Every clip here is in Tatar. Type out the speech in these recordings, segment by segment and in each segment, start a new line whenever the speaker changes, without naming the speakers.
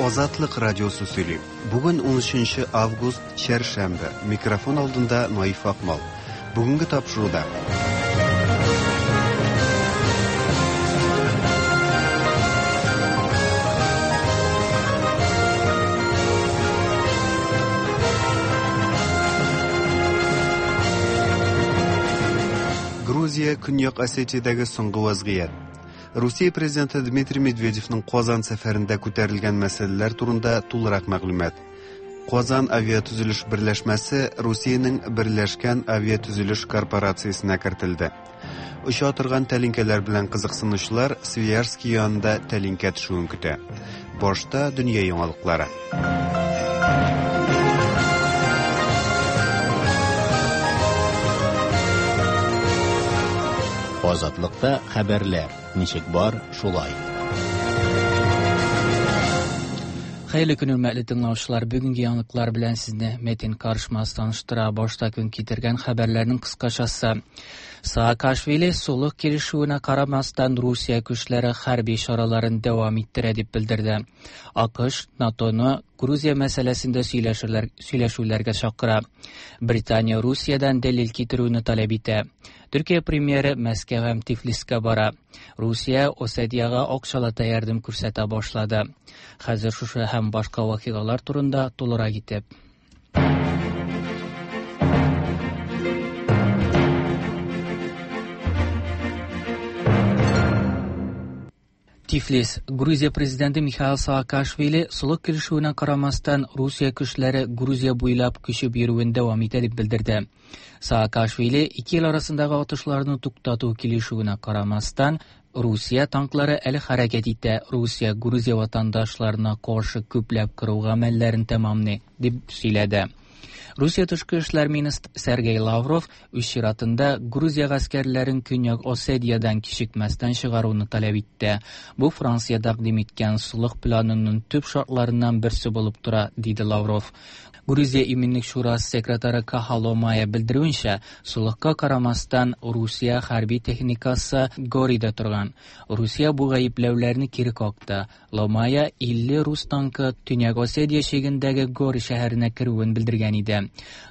Азатлык радиосы сөйли. Бүген 13 август, чәршәмбе. Микрофон алдында Наиф Акмал. Бүгенге тапшыруда. Грузия, Көньяк Осетиядәге соңгы вазгыять. Русия президенты Дмитрий Медведевның Казан сәфәрендә күтәрелгән мәсьәләләр турында тулырак мәгълүмат. Казан авиатөзелеш берләшмәсе Русиянең Берләшкән авиатөзелеш корпорациясенә кертелде. Оча торган тәлинкәләр белән кызыксынучылар Свияжский янында тәлинкә төшүен көтә. Башта дөнья яңалыклары.
Азатлыкта хәбәрләр ничек бар, шулай.
Хәерле көн, хөрмәтле тыңлаучылар. Бүгенге яңалыклар белән сезне Метин Карышмас таныштыра. Башта көн китергән хәбәрләрнең кыскачасы. Саакашвили солых килешүенә карамастан Русия көчләре хәрби чараларын дәвам иттерә дип белдерде. АКШ НАТОны Грузия мәсьәләсендә сөйләшүләр, сөйләшүләргә чакыра. Британия Русиядән дәлил китерүне таләп итә. Төркия премьеры Мәскәү һәм Тифлискә бара. Русия Осетиягә акчалата ярдәм күрсәтә башлады. Хәзер шушы һәм башка вакыйгалар турында тулырак итеп. Тифлис. Грузия президенты Михаил Саакашвили солых килешүенә карамастан Русия көчләре Грузия буйлап күчеп йөрүен дәвам итә дип белдерде. Саакашвили ике ил арасындагы атышларны туктату килешүенә карамастан Русия танклары әле хәрәкәт итә, Русия Грузия ватандашларына каршы күпләп кыру гамәлләрен тәмамлый, дип сөйләде. Русия тышкы эшләр министры Сергей Лавров үз чиратында Грузия гаскәрләрен Көньяк Осетиядән кичекмәстән чыгаруны таләп итте. Бу Франция тәкъдим иткән солых планының төп шартларыннан берсе булып тора, диде Лавров. Грузия Иминлек шурасы секретаре Каха Ломая белдерүенчә, солыхка карамастан Русия хәрби техникасы Горида торган. Русия бу гаепләүләрне кире какты. Ломая 50 рус танкы Төньяк Осетия чигендәге Гори шәһәренә керүен белдергән иде.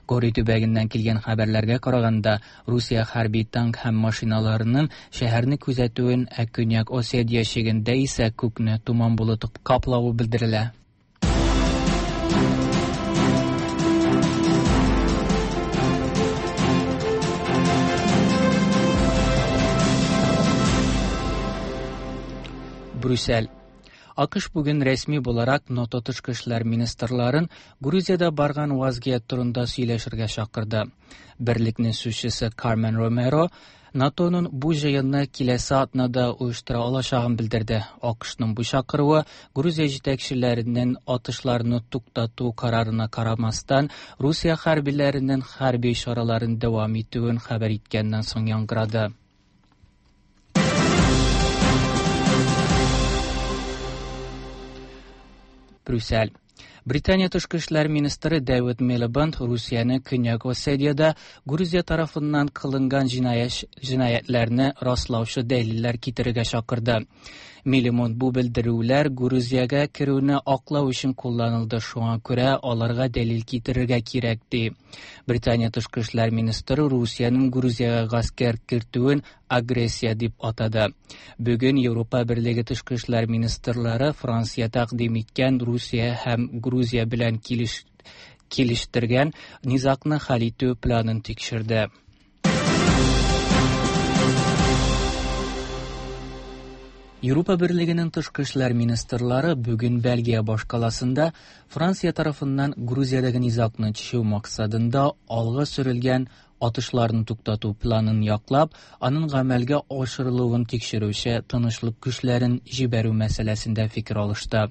Гори төбәгеннән килгән хәбәрләргә караганда, Русия хәрби танк һәм машиналарының шәһәрне күзәтүен, ә Көньяк Осетия чигендә исә күкне томан болыты каплавы белдерелә. Брюссель. АКШ бүген рәсми буларак НАТО тышкы эшләр министрларын Грузиядә барган вазгыять турында сөйләшергә чакырды. Берлекнең сүзчесе Кармен Ромеро НАТОның бу җыенны киләсе атнада оештыра алачагын белдерде. АКШның бу чакыруы Грузия җитәкчеләренең атышларны туктату карарына карамастан, Русия хәрбиләренең хәрби чараларын дәвам итүен хәбәр иткәннән соң яңгырады. Брюссель. Британия тышкы эшләр министры Дэвид Милибенд Русияне Көньяк Осетиядә Грузия тарафыннан кылынган җинаятьләрне раслаучы дәлилләр китерергә чакырды. Милимон бу белдерүләр Грузиягә керүне аклау өчен кулланылды, шуңа күрә аларга дәлил китерергә кирәк, ди. Британия тышкы эшләр министры Русиянең Грузиягә гаскәр кертүен агрессия дип атады. Бүген Европа Берлеге тышкы эшләр министрлары Франция тәкъдим иткән Русия һәм Грузия белән килеш килештергән низагны хәл итү планын тикшерде. Европа Берлегенең тышкы эшләр министрлары бүген Бельгия башкаласында Франция тарафыннан Грузиядәге низагны чишү максатында алга сөрелгән атышларны туктату планын яклап, аның гамәлгә ашырылуын тикшерүче тынычлык көчләрен җибәрү мәсьәләсендә фикер алышты.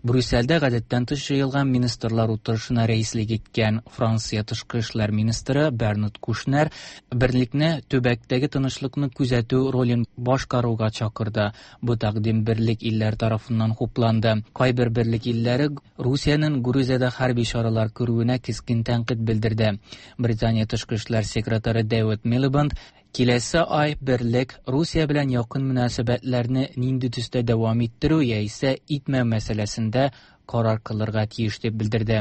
Брюссельдә гадәттән тыш җыелган министрлар утырышына рәислек иткән Франция тышкы эшләр министры Бернард Кушнер берлекне төбәктәге тынычлыкны күзәтү ролен башкаруга чакырды. Бу тәкъдим берлек илләр тарафыннан хупланды. Кайбер берлек илләре Русиянең Грузиядә хәрби чаралар күрүенә кискен тәнкыйть белдерде. Британия тышкы эшләр секретаре Дэвид Милибенд Киләсе ай берлек Русия белән якын мөнәсәбәтләрне нинди төстә дәвам иттерү яисә итмәү мәсьәләсендә карар кылырга тиеш дип белдерде.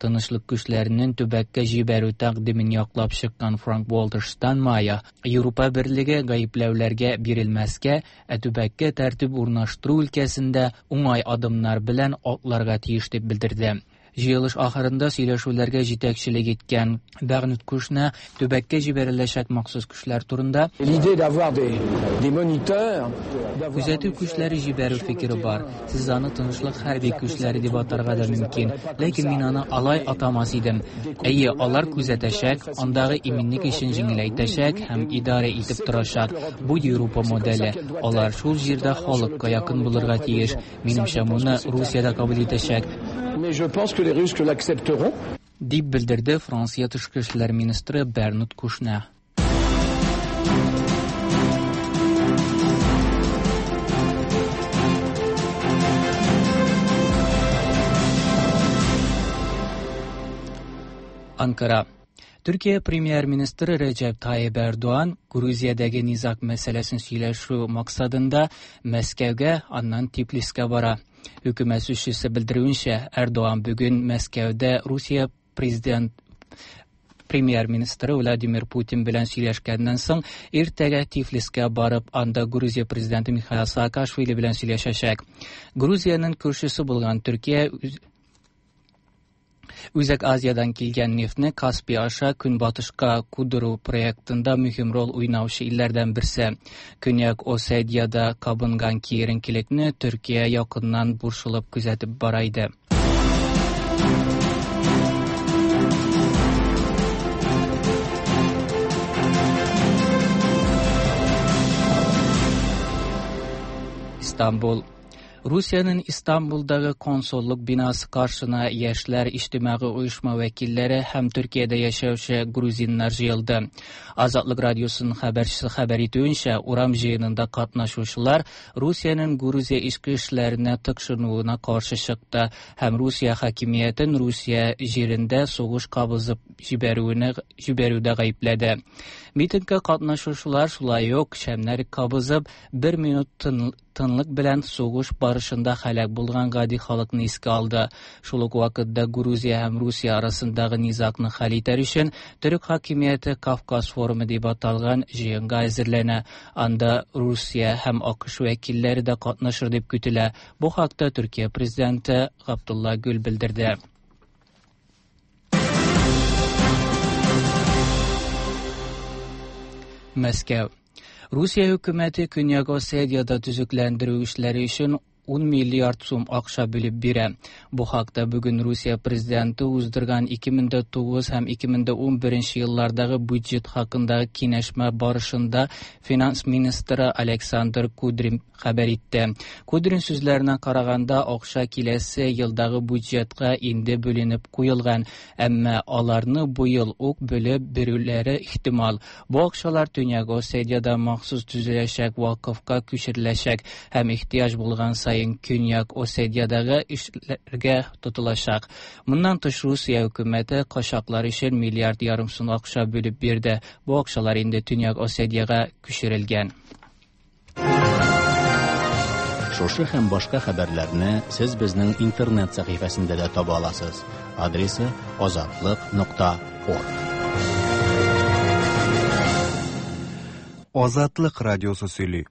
Тынычлык көчләренең төбәккә җибәрү тәкъдимен яклап чыккан Франк-Вальтер Штайнмайер Европа берлеге гаепләүләргә бирелмәскә, ә төбәккә тәртип урнаштыру өлкәсендә уңай адымнар белән атларга тиеш дип белдерде. Җыелыш ахырында сөйләшүләргә җитәкчелек иткән Бернард Кушнер төбәккә җибәреләчәк махсус көчләр турында Күзәтү көчләре җибәрү фикере бар. Сез аны тынычлык хәрби көчләре дип атарга да мөмкин, ләкин мин аны алай атамас идем. Әйе, алар күзәтәчәк, андагы иминлек эшен җиңеләйтәчәк һәм идарә итеп торачак. Бу Европа моделе. Алар шул җирдә халыкка якын булырга тиеш. Минемчә, моны Русия дә кабул итәчәк.
Mais je pense que les Russes l'accepteront.
Дип белдерде Франция тышкы эшләр министры Бернард Кушнер. Анкара. Төркия премьер-министры Рәҗәп Тайип Эрдоган Грузиядәге низаг мәсьәләсен сөйләшү максатында Мәскәүгә, аннан Тифлискә бара. Хөкүмәт сүзчесе белдерүенчә, Эрдоган бүген Мәскәүдә Русия президент премьер-министры Владимир Путин белән сөйләшкәннән соң иртәгә Тифлискә барып, анда Грузия президенты Михаил Саакашвили белән сөйләшәчәк. Грузиянең күршесе булган Төркия Үзәк Азиядән килгән нефтне Каспий аша көнбатышка кудыру проектында мөһим роль уйнаучы илләрдән берсе. Көньяк Осетиядә кабынган киеренкелекне Төркия якыннан борчылып күзәтеп бара иде. Истанбул. Русиянең Истанбулдагы консуллык бинасы каршына яшьләр иҗтимагый оешма вәкилләре һәм Төркиядә яшәүче грузиннар җыелды. Азатлык радиосының хәбәрчесе хәбәр итүенчә, урам җыенында катнашучылар Русиянең Грузия эчке эшләренә тыкшынуына каршы чыкты һәм Русия хакимиятен Русия җирендә сугыш кабызып җибәрүенә җибәрүдә гаепләде. Митингка катнашучылар шулай ук шәмнәр кабызып, бер минут тынлык белән сугыш барышында һәлак булган гади халыкны искә алды. Шул ук вакытта Грузия һәм Русия арасындагы низагны хәл итәр өчен төрек хакимияте Кавказ форумы дип аталган җыенга әзерләнә. Анда Русия һәм АКШ вәкилләре дә катнашыр дип көтелә. Бу хакта Төркия президенты Габдулла Гүл белдерде. Мәскәү. Русия хөкүмәте Көньяк Осетиядә төзекләндерү эшләре өчен 10 миллиард сум акча бүлеп бирә. Бу хакта бүген Русия президенты уздырган 2009 һәм 2011 еллардагы бюджет хакындагы киңәшмә барышында финанс министры Александр Кудрин хәбәр итте. Кудрин сүзләренә караганда, акча киләсе елдагы бюджетка инде бүленеп куелган, әмма аларны бу ел ук бүлеп бирүләре ихтимал. Бу акчалар Төньяк Осетиядә махсус төзеләчәк вакыфка күчереләчәк һәм ихтыяҗ булган саен Көньяк Осетиядәге эшләргә тотылачак. Моннан тыш Русия хөкүмәте качаклар өчен миллиард ярым сум акча бүлеп бирде. Бу акчалар инде Төньяк Осетиягә күчерелгән.
Шушы һәм башка хәбәрләрне сез безнең интернет сәхифәсендә дә таба аласыз. Адресы azatliq.org.
Азатлык радиосы сөйли.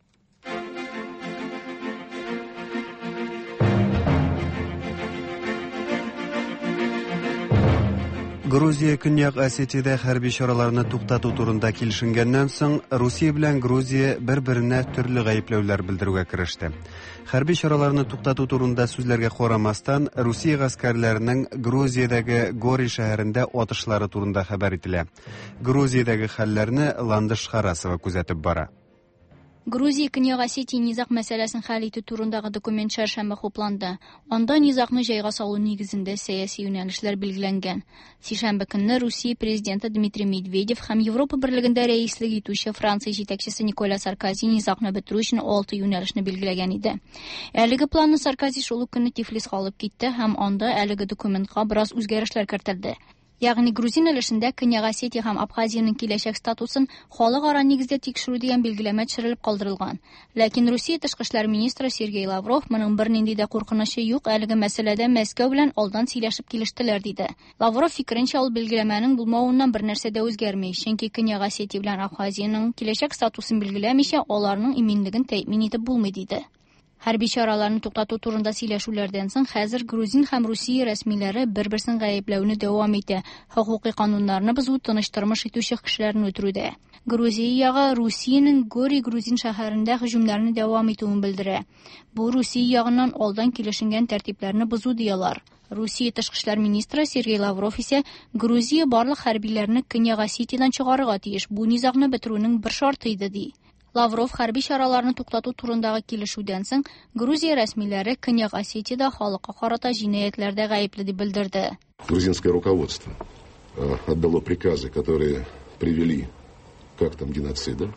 Грузия Көньяк Осетиядә хәрби чараларны туктату турында килешенгәннән соң, Русия белән Грузия бер-беренә төрле гаепләүләр белдерүгә кереште. Хәрби чараларны туктату турында сүзләргә карамастан, Русия гаскәрләренең Грузиядәге Гори шәһәрендә атышлары турында хәбәр ителә. Грузиядәге хәлләрне Ландыш Харасова күзәтеп бара.
Грузия Көньяк Осетия низаг мәсьәләсен хәл итү турындагы документ чәршәмбе хупланды. Анда низагны җайга салу нигезендә сәяси юнәлешләр билгеләнгән. Сишәмбе көнне Русия президенты Дмитрий Медведев һәм Европа берлегендә рәислек итүче Франция җитәкчесе Николя Саркози низагны бетерү өчен 6 юнәлешне билгеләгән иде. Әлеге планны Саркози шул ук көнне Тифлиска алып китте һәм анда әлеге документка бераз үзгәрешләр кертелде. Ягъни грузин өлешендә Көньяк Осетия һәм Абхазиянең киләчәк статусын халыкара нигездә тикшерү дигән билгеләмә төшерелеп калдырылган. Ләкин Русия тышкы эшләр министры Сергей Лавров моның бернинди дә куркынычы юк, әлеге мәсьәләдә Мәскәү белән алдан сөйләшеп килештеләр, диде. Лавров фикеренчә, ул билгеләмәнең булмавыннан бернәрсә дә үзгәрми, чөнки Көньяк Осетия белән Абхазиянең киләчәк статусын билгеләмичә, аларның иминлеген тәэмин итеп булмый, диде. Хәрби чараларны туктату турында сөйләшүләрдән соң хәзер грузин һәм Русия рәсмиләре бер-берсен гаепләүне дәвам итә. Хокукый кануннарны бозу, тыныч тормыш итүче кешеләрне үтерүдә. Грузия ягы Русиянең Гори грузин шәһәрендә һөҗүмнәрне дәвам итүен белдерә. Бу Русия ягыннан алдан килешенгән тәртипләрне бозу ди алар. Русия тышкы эшләр министры Сергей Лавров исә Грузия барлык хәрбиләрне Көньяк Осетиядән чыгарырга тиеш. Бу низагны бетерүнең бер шарты иде ди. Лавров хәрби чараларны туктату турындагы килешүдән соң Грузия рәсмиләре Көньяк Осетиядә халыкка карата җинаятьләрдә гаепле дип белдерде.
Грузинское руководство отдало приказы, которые привели к актам геноцида.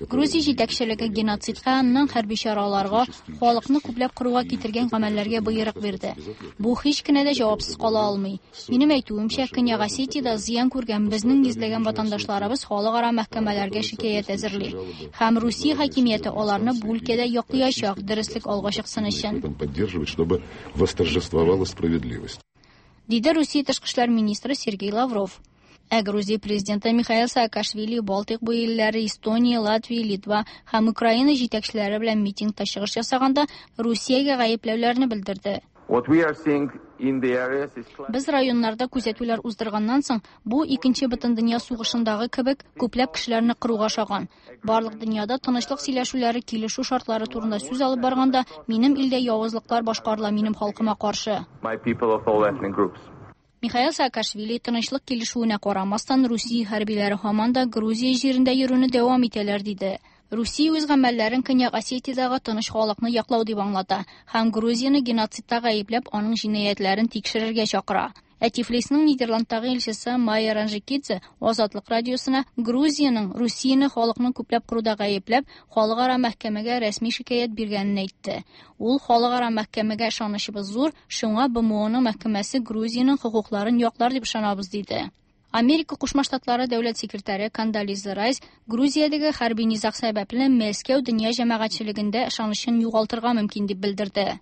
Грузия җитәкчелеге геноцидка, аннан хәрби чараларга, халыкны күпләп кыруга китергән гамәлләргә боерык бирде. Бу һич кенә дә җавапсыз кала алмый. Минем әйтүемчә, Көньяк Осетиядә зыян күргән безнең йөзләгән ватандашларыбыз халыкара мәхкәмәләргә шикаять әзерли. Һәм Русия хакимияте аларны бу өлкәдә яклаячак, дөреслек алга чыксын өчен.
В этом поддерживать, чтобы восторжествовала справедливость.
Диде Русия тышкы эшләр министры Сергей Лавров. Ә Грузия президенты Михаил Саакашвили Балтыйк буе илләре Эстония, Латвия, Литва һәм Украина җитәкчеләре белән митингта чыгыш ясаганда Русиягә гаепләүләрне белдерде. Без районнарда күзәтүләр уздырганнан соң, бу икенче бөтендөнья сугышындагы кебек күпләп кешеләрне кыруга ошаган. Барлык дөньяда тынычлык сөйләшүләре, килешү шартлары турында сүз алып барганда, минем илдә явызлыклар башкарыла минем халкыма каршы. Михаил Саакашвили тынычлык килешүенә карамастан, Русия хәрбиләре һаман да Грузия җирендә йөрүне дәвам итәләр, диде. Русия үз гамәлләрен Көньяк Осетиядәге тыныч халыкны яклау дип аңлата һәм Грузияне геноцидта гаепләп, аның җинаятьләрен тикшерергә чакыра. Ә Тифлисның Нидерландтагы илчесе Майя Ранжикидзе Азатлык радиосына Грузиянең Русияне халыкны күпләп кыруда гаепләп, халыкара мәхкәмәгә рәсми шикаять биргәнен әйтте. Ул халыкара мәхкәмәгә ышанычыбыз зур, шуңа БМОның мәхкәмәсе Грузиянең хокукларын яклар дип ышанабыз, диде. Америка Кушма Штатлары дәүләт секретаре Кондолиза Райс Грузиядәге хәрби низаг сәбәпле Мәскәү дөнья җәмәгатьчелегендә ышанычын югалтырга мөмкин дип белдерде.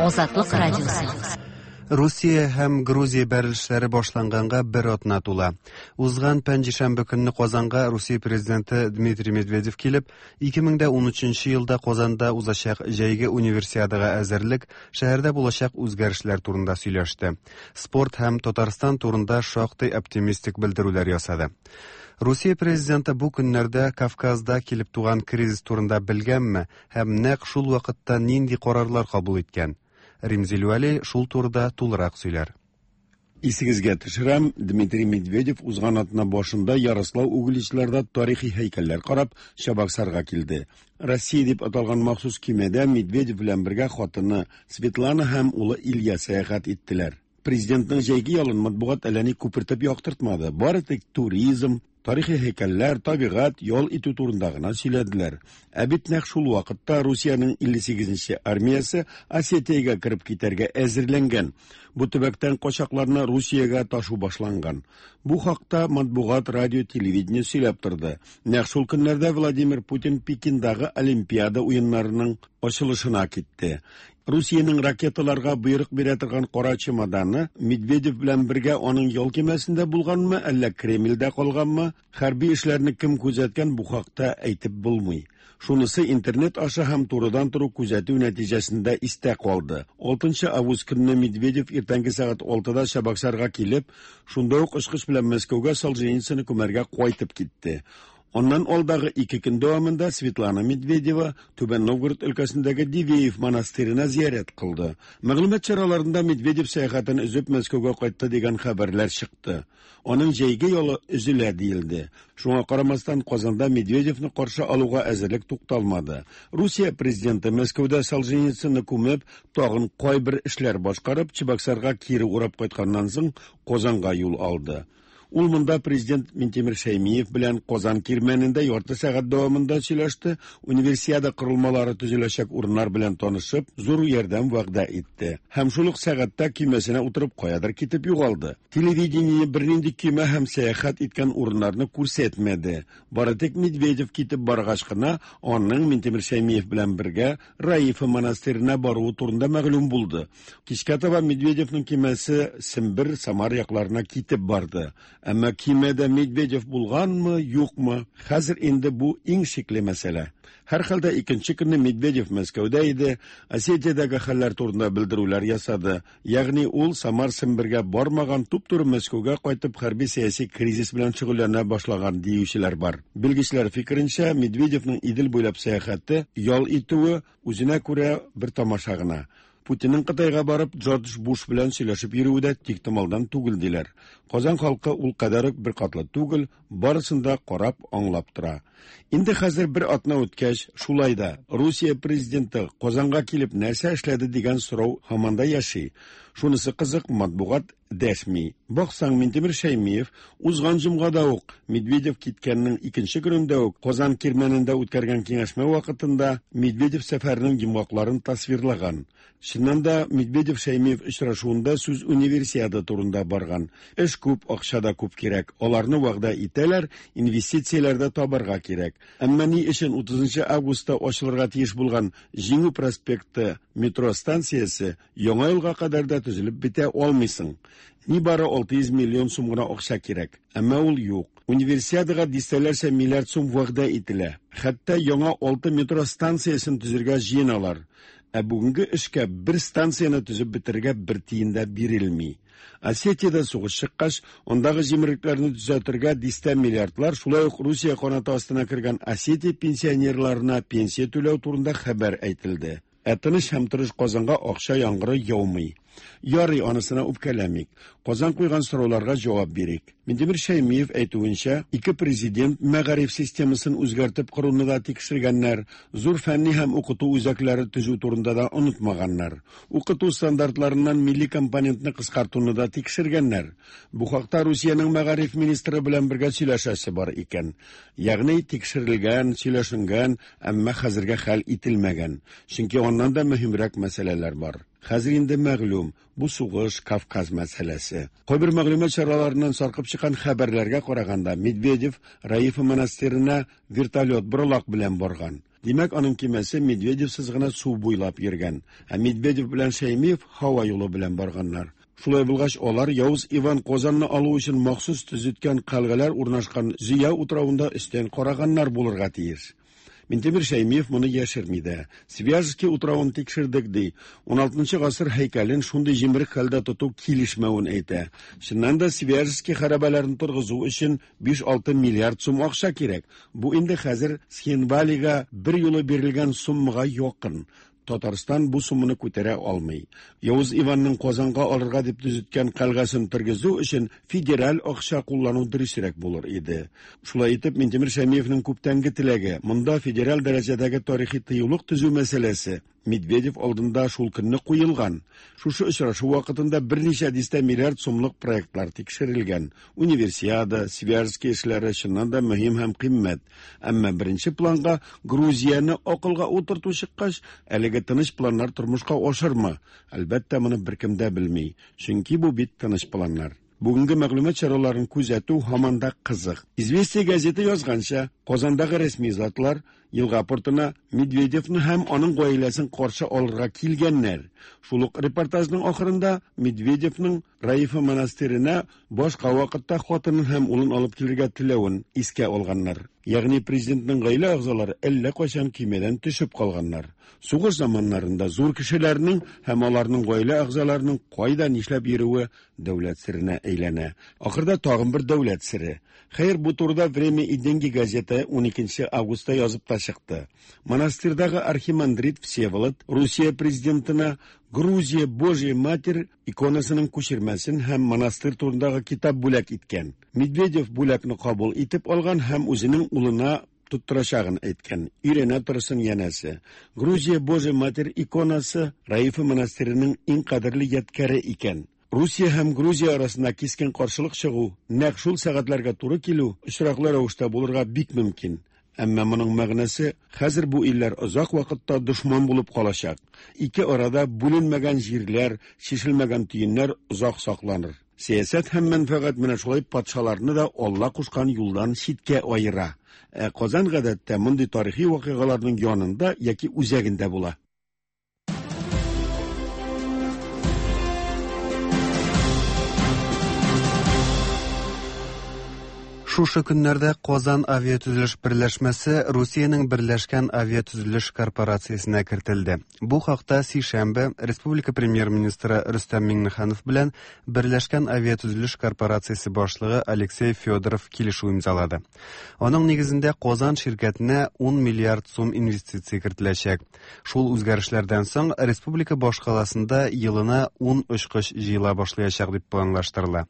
Азатлык радиосы.
Русия һәм Грузия бәрелешләре башланганга бер атна тула. Узган пәнҗешәмбе көнне Казанга Русия президенты Дмитрий Медведев килеп, 2013 елда Казанда узачак җәйге универсиадага әзерлек, шәһәрдә булачак үзгәрешләр турында сөйләште. Спорт һәм Татарстан турында шактый оптимистик белдерүләр ясады. Русия президенты бу көннәрдә Кавказда килеп туган кризис турында белгәнме һәм нәкъ шул вакытта нинди карарлар кабул иткән? Римзил Вәли шул турыда тулырак сөйләр.
Исегезгә төшерәм, Дмитрий Медведев узган атна башында Ярослав Угличларда тарихи һәйкәлләр карап Чабаксарга килде. Россия дип аталган махсус көймәдә Медведев белән бергә хатыны Светлана һәм улы Илья сәяхәт иттеләр. Президентның җәйге ялын матбугат әллә ни күпертеп яктыртмады. Бары тик туризм, тарихи һәйкәлләр, табигать, ял итү турында гына сөйләделәр. Ә бит нәкъ шул вакытта Русиянең 58-нче армиясе Осетиягә кереп китәргә әзерләнгән. Бу төбәктән качакларны Русиягә ташу башланган. Бу хакта матбугат, радио, телевидение сөйләп торды. Нәкъ шул көннәрдә Владимир Путин Пекиндагы Олимпиада уеннарының ачылышына китте. Русиянең ракеталарга боерык бирә торган кара чемоданы Медведев белән бергә аның ял көймәсендә булганмы, әллә Кремльдә калганмы? Хәрби эшләрне кем күзәткән, бу хакта әйтеп булмый. Шунысы интернет аша һәм турыдан-туры күзәтү нәтиҗәсендә истә калды. 6 август көнне Медведев иртәнге сәгать 6-да Чабаксарга килеп, шунда ук очкыч белән Мәскәүгә Солженицынны күмәргә кайтып китте. Аннан алдагы 2 көн дәвамында Светлана Медведева Түбән Новгород өлкәсендәге Дивеев монастырена зиярәт кылды. Мәгълүмат чараларында Медведев сәяхәтен өзеп Мәскәүгә кайтты дигән хәбәрләр чыкты. Аның җәйге ялы өзелә диелде. Шуңа карамастан Казанда Медведевны каршы алуга әзерлек тукталмады. Русия президенты Мәскәүдә Солженицынны күмеп, тагын кайбер эшләр башкарып, Чебоксарга кире урап кайтканнан соң Казанга юл алды. Ул монда президент Минтимер Шәймиев белән Казан кирмәнендә ярты сәгать дәвамында сөйләште, универсиада корылмалары төзеләчәк урыннар белән танышып, зур ярдәм вәгъдә итте. Һәм шул ук сәгатьтә көймәсенә утырып каядыр китеп югалды. Телевидение бернинди көймә һәм сәяхәт иткән урыннарны күрсәтмәде. Бары тик Медведев китеп баргач кына аның Минтимер Шәймиев белән бергә Раифа монастырена баруы турында мәгълүм булды. Кичкә таба Медведевның көймәсе Сембер, Самар якларына китеп барды. Әмма көймәдә Медведев булганмы, юкмы? Хәзер инде бу иң шикле мәсьәлә. Һәрхәлдә икенче көнне Медведев Мәскәүдә иде, Осетиядәге хәлләр турында белдерүләр ясады. Ягъни ул Самар Сембергә бармаган, туп-туры Мәскәүгә кайтып хәрби-сәяси кризис белән шөгыльләнә башлаган диючеләр бар. Белгечләр фикеренчә, Медведевның Идел буйлап сәяхәте, ял итүе үзенә күрә бер тамаша гына. Путинның Кытайга барып Джордж Буш белән сөйләшеп йөрүе дә тиктомалдан түгел диләр. Казан халкы ул кадәр үк беркатлы түгел, барысын да карап, аңлап тора. Инде хәзер бер атна үткәч, шулай да Русия президенты Казанга килеп нәрсә эшләде дигән сорау һаман да яши. Шунысы кызык, матбугат дәшми. Баксаң, Минтимер Шәймиев узган җомгада ук Медведев киткәннең икенче көнендә үк Казан кирмәнендә үткәргән киңәшмә вакытында Медведев сәфәренең йомгакларын тасвирлаган. Чыннан да, Медведев Шәймиев очрашуында сүз универсиада турында барган. Эш күп, акча да күп кирәк. Аларны вәгъдә итәләр, инвестицияләр дә табарга кирәк. Әмма ни өчен 30 августта ачылырга тиеш булган Җиңү проспекты метро станциясе Яңа елга кадәр дә төзелеп бетә алмыйсың? Нибары 600 миллион сум гына акча кирәк. Әмма ул юк. Универсиадага дистәләрчә миллиард сум вәгъдә ителә. Хәтта яңа 6 метро станциясен төзергә җыеналар. Ә бүгенге эшкә бер станцияне төзеп бетерергә бер тиен дә бирелми. Осетиядә сугыш чыккач, андагы җимерлекләрне төзәтергә дистә миллиардлар, шулай ук Русия канаты астына кергән Осетия пенсионерларына пенсия түләү турында хәбәр әйтелде. Ә тыныч һәм тырыш Казанга акча яңгыры яумый. Ярый, анысына үпкәләмик. Казан куйган сорауларга җавап бирик. Минтимер Шәймиев әйтүенчә, ике президент мәгариф системасын үзгәртеп коруны да тикшергәннәр, зур фәнни һәм укыту үзәкләре төзү турында да онытмаганнар. Укыту стандартларыннан милли компонентны кыскартуны да тикшергәннәр. Бу хакта Русиянең мәгариф министры белән бергә сөйләшәсе бар икән. Ягъни тикшерелгән, сөйләшенгән, әмма хәзергә хәл ителмәгән. Чөнки аннан да мөһимрәк мәсьәләләр бар. Хәзер инде мәгълүм, бу сугыш, Кавказ мәсьәләсе. Кайбер мәгълүмат чараларыннан саркып чыккан хәбәрләргә караганда, Медведев Раифа монастырена вертолет боралак белән барган. Димәк, аның кимәсе Медведевсыз гына су буйлап йөргән. Ә Медведев белән Шәймиев һава юлы белән барганнар. Шулай булгач, алар Явыз Иван Казанны алу өчен махсус төзеткән калгалар урнашкан Зөя утравында өстән караганнар булырга тиеш. Минтимер Шәймиев моны яшерми дә. Свияжский утравын тикшердек ди. 16 гасыр һәйкәлен шундый җимерек хәлдә тоту килешмәвен әйтә. Чыннан да Свияжский хәрабәләрен торгызу өчен 5-6 миллиард сум акча кирәк. Бу инде хәзер Схинвалига бер юлы бирелгән суммага якын. Татарстан бу сумманы күтәрә алмый. Явыз Иванның Казанга алырга дип төзеткән калгасын тергезү өчен федераль акча куллану дөресрәк булыр иде. Шулай итеп, Минтимер Шәймиевнең күптәнге теләге, монда федераль дәрәҗәдәге тарихи тыюлык төзү мәсьәләсе Медведев алдында шул көнне куелган. Шушы очрашу вакытында берничә дистә миллиард сумлык проектлар тикшерелгән. Универсиада, Свияжский эшләре чыннан да мөһим һәм кыйммәт. Әмма беренче планга Грузияне акылга утырту чыккач, әлеге тыныч планнар тормышка ашырмы? Әлбәттә, моны беркем дә белми. Чөнки бу бит тыныч планнар. Бүгенге мәгълүмат чараларын күзәтү һаман да кызык. Известия газеты язганча, Казандагы рәсми затлар елга портына Медведевны һәм аның гаиләсен каршы алырга килгәннәр. Шул ук репортажның ахырында Медведевның Раифа монастырена башка вакытта хатынын һәм улын алып килергә теләвен искә алганнар. Ягъни президентның гаилә әгъзалары әллә кайчан көймәдән төшеп калганнар. Сугыш заманнарында зур кешеләрнең һәм аларның гаилә әгъзаларының кайда нишләп йөрүе дәүләт серенә әйләнә. Ахырда тагын бер дәүләт сере. Хәер, бу турыда Время и деньги газеты 12 августта язып та чыкты. Монастырьдагы архимандрит Всеволод Русия президентына Грузия Божья Матерь иконасының күчермәсен һәм монастырь турындагы китап бүләк иткән. Медведев бүләкне кабул итеп алган һәм үзенең улына тоттырачагын әйткән. Өйрәнә торсын янәсе. Грузия Божья Матерь иконасы Раифа монастыреның иң кадерле ядкәре икән. Русия һәм Грузия арасында кискен каршылык чыгу, нәкъ шул сәгатьләргә туры килү очраклы рәвештә булырга бик мөмкин. Әмма моның мәгънәсе хәзер бу илләр озак вакытта дошман булып калачак. Ике арада бүленмәгән җирләр, чишелмәгән төеннәр озак сакланыр. Сәясәт һәм мәнфәгать менә шулай патшаларны да Алла кушкан юлдан читкә аера. Ә Казан гадәттә мондый тарихи вакыйгаларның янында яки үзәгендә була.
Шушы көннәрдә Казан авиатөзелеш берләшмәсе Русиянең Берләшкән авиатөзелеш корпорациясенә кертелде. Бу хакта сишәмбе республика премьер-министры Рөстәм Миңнеханов белән Берләшкән авиатөзелеш корпорациясе башлыгы Алексей Федоров килешү имзалады. Аның нигезендә Казан ширкәтенә 10 миллиард сум инвестиция кертеләчәк. Шул үзгәрешләрдән соң республика башкаласында елына 10 очкыч җыела башлаячак дип планлаштырыла.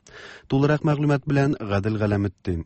Тулырак мәгълүмат белән Гадел Галәметдин.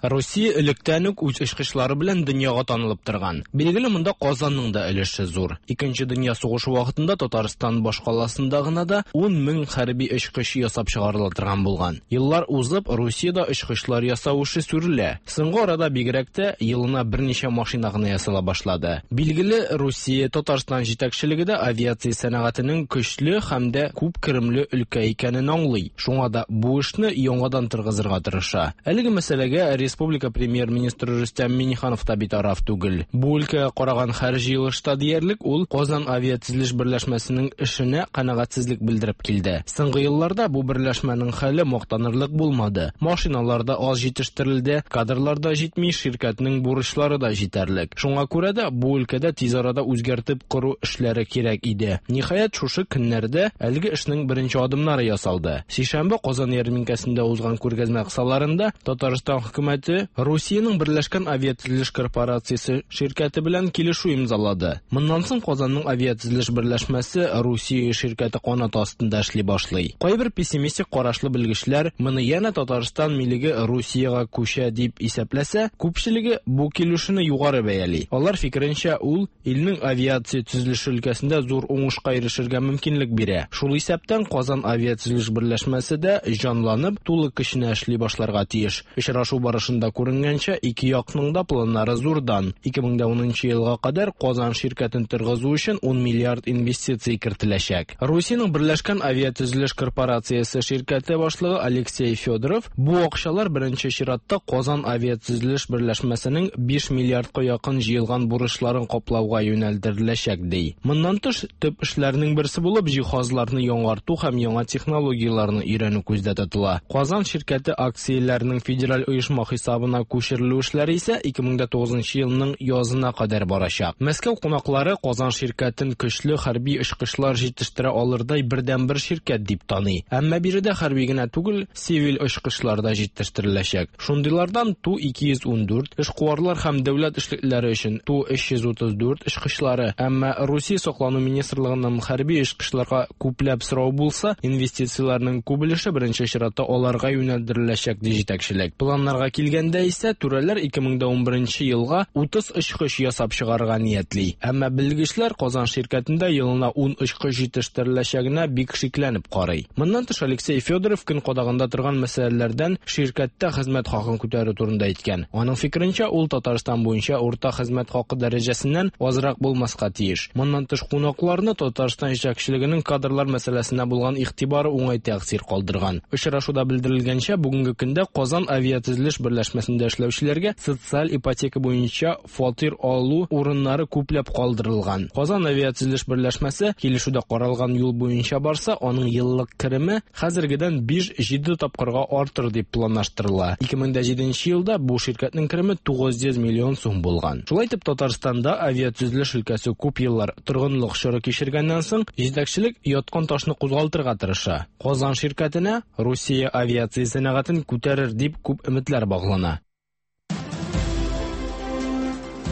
Русия электән үк үз очкычлары белән дөньяга танылып торган. Билгеле, монда Казанның да өлеше зур. Икенче дөнья сугышы вакытында Татарстан башкаласында гына да 10 мең хәрби очкыч ясап чыгарыла торган булган. Еллар узып, Русиядә очкычлар ясау эше сүрелә. Соңгы арада бигрәк тә елына берничә машина гына ясала башлады. Билгеле, Русия, Татарстан җитәкчелеге дә авиация сәнәгатенең көчле һәм дә күп керемле өлкә икәнен аңлый. Шуңа да бу эшне яңадан торгызырга тырыша. Әлеге мәсьәләгә республика премьер-министры Рөстәм Миңнеханов та битараф түгел. Бу өлкәгә караган һәр җыелышта диярлек ул Казан авиатөзелеш берләшмәсенең эшенә канәгатьсезлек белдереп килде. Соңгы елларда бу берләшмәнең хәле мактанырлык булмады. Машиналар да аз җитештерелде, кадрлар да җитми, ширкәтнең бурычлары да җитәрлек. Шуңа күрә дә бу өлкәдә тиз арада үзгәртеп кору эшләре кирәк иде. Ниһаять, шушы көннәрдә әлеге эшнең беренче адымнары ясалды. Сишәмбе Казан ярминкәсендә узган күргәзмә кысаларында Татарстан хөкүмәте Русиянең Берләшкән авиатөзелеш корпорациясе ширкәте белән килешү имзалады. Моннан соң Казанның авиатөзелеш берләшмәсе Русия ширкәте канаты астында эшли башлый. Кайбер пессимистик карашлы белгечләр моны янә Татарстан милеге Русиягә күчә дип исәпләсә, күпчелеге бу килешүне югары бәяли. Алар фикеренчә, ул илнең авиация төзелеше өлкәсендә зур уңышка ирешергә мөмкинлек бирә. Шул исәптән Казан авиатөзелеш берләшмәсе дә җанланып, тулы көченә эшли башларга тиеш. Очрашу барышында күренгәнчә, ике якның да планнары зурдан. 2010 елга кадәр Казан ширкәтен торгызу өчен 10 миллиард инвестиция кертеләчәк. Русиянең Берләшкән авиатөзелеш корпорациясе ширкәте башлыгы Алексей Федоров бу акчалар беренче чиратта Казан авиатөзелеш берләшмәсенең 5 миллиардка якын җыелган бурычларын каплауга юнәлдереләчәк ди. Моннан тыш, төп эшләрнең берсе булып җиһазларны яңарту һәм яңа технологияләрне өйрәнү күздә тотыла. Казан ширкәте акцияләренең федераль оешма хисабына күчерелү эшләре исә 2009 елның язына кадәр барачак. Мәскәү кунаклары Казан ширкәтен көчле хәрби очкычлар җитештерә алырдай бердәнбер ширкәт дип таный. Әмма биредә хәрби генә түгел, цивиль очкычлар да җитештереләчәк. Шундыйлардан Ту-214, эшкуарлар һәм дәүләт эшлеклеләре өчен Ту-334 очкычлары. Әмма Русия саклану министрлыгыннан хәрби очкычларга күпләп сорау булса, инвестицияләрнең күп өлеше беренче чиратта аларга юнәлдереләчәк, ди җитәкчелек. Планнарга килгәндә исә, түрәләр 2011 елга 30 очкыч ясап чыгарырга ниятли. Әмма белгечләр Казан ширкәтендә елына 10 очкыч җитештереләчәгенә бик шикләнеп карый. Моннан тыш, Алексей Федоров көн кадагында торган мәсьәләләрдән ширкәттә хезмәт хакын күтәрү турында әйткән. Аның фикеренчә, ул Татарстан буенча урта хезмәт хакы дәрәҗәсеннән азрак булмаска тиеш. Моннан тыш, кунакларны Татарстан җитәкчелегенең кадрлар мәсьәләсенә булган игътибары уңай тәэсир калдырган. Очрашуда белдерелгәнчә, бүгенге көндә Казан авиатөзелеш берләшмәсендә эшләүчеләргә социаль ипотека буенча фатир алу урыннары күпләп калдырылган. Казан авиатөзелеш берләшмәсе килешүдә каралган юл буенча барса, аның еллык кереме хәзергедән 5-7 тапкырга артыр дип планлаштырыла. 2007 елда бу ширкәтнең кереме 900 миллион сум булган. Шулай итеп, Татарстанда авиатөзелеш өлкәсе күп еллар торгынлык чоры кичергәннән соң, җитәкчелек яткан ташны кузгалтырга тырыша. Казан ширкәтенә Русия авиация сәнәгатен күтәрер дип күп өметләр баглана.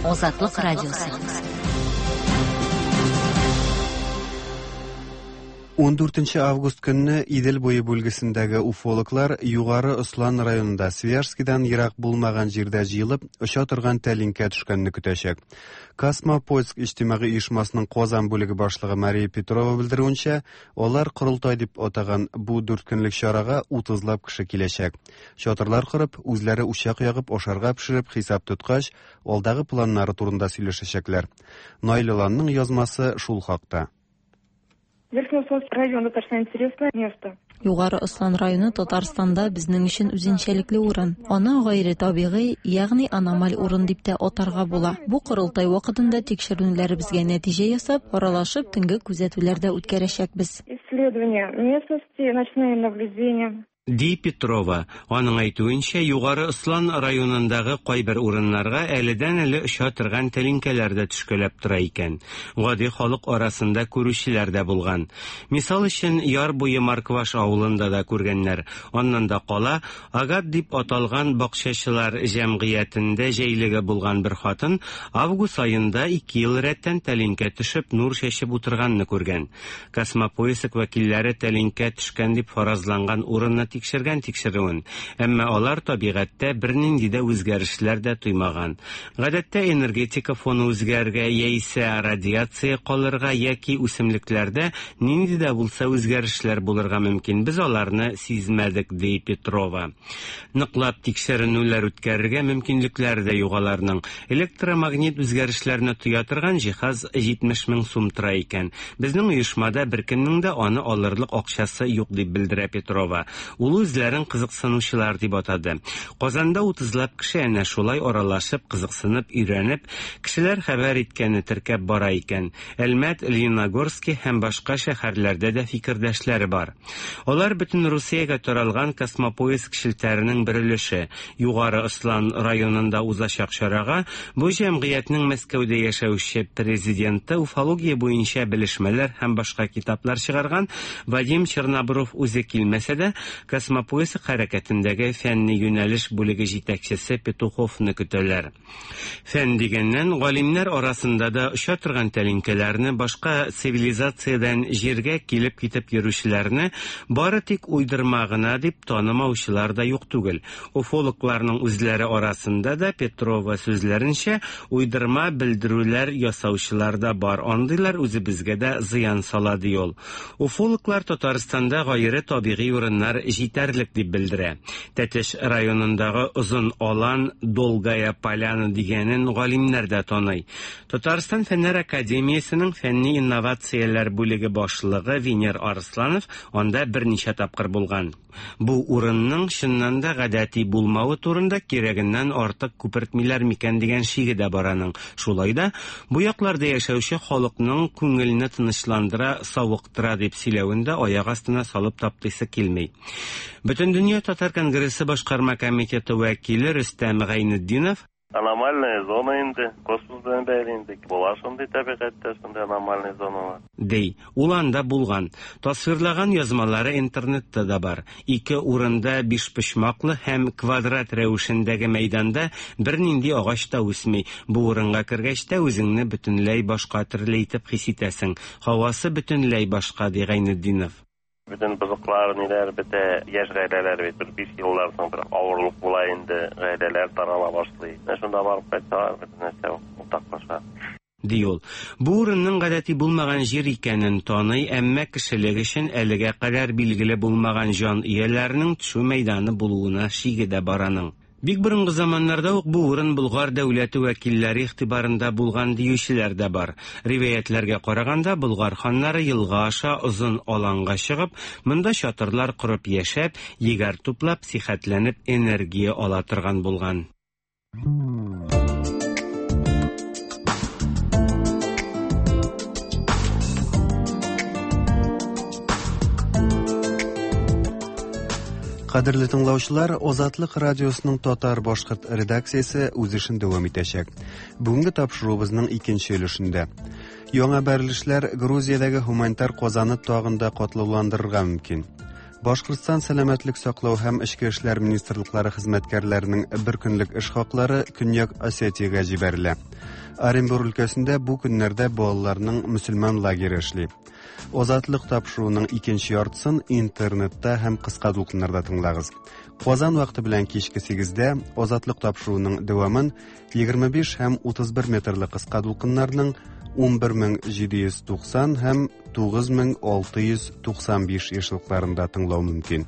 Азатлык радиосы.
14 август көнне Идел буе бүлгесендәге уфологлар Югары Ослан районында Свияжскидан ерак булмаган җирдә җыелып, оча торган тәлинкә төшкәнне көтәчәк. Космопоиск иҗтимагый оешмасының Казан бүлеге башлыгы Мария Петрова белдерүенчә, алар корылтай дип атаган бу дүрт көнлек чарага утызлап кеше киләчәк. Чатырлар корып, үзләре учак ягып, ашарга пешереп, хисап тоткач, алдагы планнары турында сөйләшәчәкләр. Наил Аланның язмасы шул хакта.
Верхнеуслонский район достаточно интересное место.
Югары Ослан районы Татарстанда безнең өчен үзенчәлекле урын. Аны гайре табигый, ягъни аномаль урын дип тә атарга була. Бу корылтай вакытында тикшеренүләребезгә нәтиҗә ясап, аралашып, төнге күзәтүләр дә үткәрәчәкбез.
Исследования местности, ночные наблюдения.
Ди Петрова. Аның әйтүенчә, Югары Ослан районындагы кайбер урыннарга әледән-әле оча торган тәлинкәләр дә төшкәләп тора икән. Гади халык арасында күрүчеләр дә булган. Мисал өчен, яр буе Маркваш авылында да күргәннәр. Аннан да кала, Агат дип аталган бакчачылар җәмгыятендә җәйлеге булган бер хатын август аенда ике ел рәттән тәлинкә төшеп, нур чәчеп утырганны күргән. Космопоиск вәкилләре тәлинкә төшкән дип фаразланган урынны тикшергән тикшерүен, әмма алар табигатьтә бернинди дә үзгәрешләр дә тоймаган. Гадәттә энергетика фоны үзгәрергә яисә радиация калырга яки үсемлекләрдә нинди дә булса үзгәрешләр булырга мөмкин, без аларны сизмәдек, ди Петрова. Ныклап тикшеренүләр үткәрергә мөмкинлекләре дә юк аларның. Электромагнит үзгәрешләрне тоя торган җиһаз 70 мең сум тора икән. Безнең оешмада беркемнең дә аны алырлык акчасы юк, дип белдерә Петрова. Ул үзләрен кызыксынучылар дип атады. Казанда утызлап кеше әнә шулай аралашып, кызыксынып, өйрәнеп, кешеләр хәбәр иткәнне теркәп бара икән. Әлмәт, Лениногорски һәм башка шәһәрләрдә дә фикердәшләре бар. Алар бөтен Русиягә таралган Космопоиск челтәренең бер өлеше. Югары Ослан районында узачак чарага бу җәмгыятьнең Мәскәүдә яшәүче президенты, уфология буенча белешмәләр һәм башка китаплар чыгарган Вадим Чернобров үзе килмәсә дә, Космопоиск хәрәкәтендәге фәнни юнәлеш бүлеге җитәкчесе Петуховны көтәләр. Фән дигәннән, галимнәр арасында да оча торган тәлинкәләрне, башка цивилизациядән җиргә килеп-китеп йөрүчеләрне бары тик уйдырма гына дип танымаучылар да юк түгел. Уфологларның үзләре арасында да, Петрова сүзләренчә, уйдырма белдерүләр ясаучылар да бар, андыйлар үзебезгә дә зыян сала, ди ул. Уфологлар Татарстанда гайре табигый урыннар җитәрлек дип белдерә. Тәтеш районындагы Озын Алан, Долгая Поляна дигәнен галимнәр дә таный. Татарстан Фәннәр академиясенең фәнни инновацияләр бүлеге башлыгы Венер Арысланов анда берничә тапкыр булган. Бу урынның чыннан да гадәти булмавы турында кирәгеннән артык күпертмиләр микән дигән шиге дә бар аның. Шулай да, бу якларда яшәүче халыкның күңелне тынычландыра, савыктыра дип сөйләвен дә аяк астына салып таптыйсы килми. Бөтендөнья татар конгрессы башкарма комитеты вәкиле Рөстәм Гайнетдинов,
Аномальная зона инде, космос белән бәйле инде. Була шундый табигатьтә шундый аномальный зоналар.
Ди. Ул анда булган. Тасвирлаган язмалары интернетта да бар. Ике урында бишпочмаклы һәм квадрат рәвешендәге мәйданда бернинди агач та үсми. Бу урынга кергәч тә үзеңне бөтенләй башка төрле итеп хис итәсең. Һавасы бөтенләй башка, ди Гайнетдинов.
Бөтен бозыклар, ниләр бетә, яшь гаиләләр бит бер 5 елдан соң бер авырлык була инде, гаиләләр тарала башлый. Менә шунда барып кайтсалар, бөтен нәрсә уртаклаша.
Ди ул. Бу урынның гадәти булмаган җир икәнен таный, әмма кешелек өчен әлегә кадәр билгеле булмаган җан ияләренең төшү мәйданы булуына шиге дә бар аның. Бик борынгы заманнарда ук бу урын Болгар дәүләте вәкилләре игътибарында булган диючеләр дә бар. Риваятьләргә караганда, Болгар ханнары елга аша озын аланга чыгып, монда чатырлар корып яшәп, егәр туплап, сихәтләнеп энергия ала торган булган.
Кадерле тыңлаучылар, Азатлык радиосының татар-башкорт редакциясе үз эшен дәвам итәчәк. Бүгенге тапшыруыбызның икенче өлешендә. Яңа бәрелешләр Грузиядәге һуманитар казаны тагын да катлауландырырга мөмкин. Башкортстан сәламәтлек саклау һәм эчке эшләр министрлыклары хезмәткәрләренең бер көнлек эш хаклары Көньяк Осетиягә җибәрелә. Оренбур өлкәсендә бу көннәрдә балаларның мөселман лагере эшли. Азатлык тапшыруының икенче яртысын интернетта һәм кыска дулкыннарда тыңлагыз. Казан вакыты белән кичке 8-дә Азатлык тапшыруының дәвамын 25 һәм 31 метрлы кыска дулкыннарның 11790 һәм 9695 ешлыкларында тыңлау мөмкин.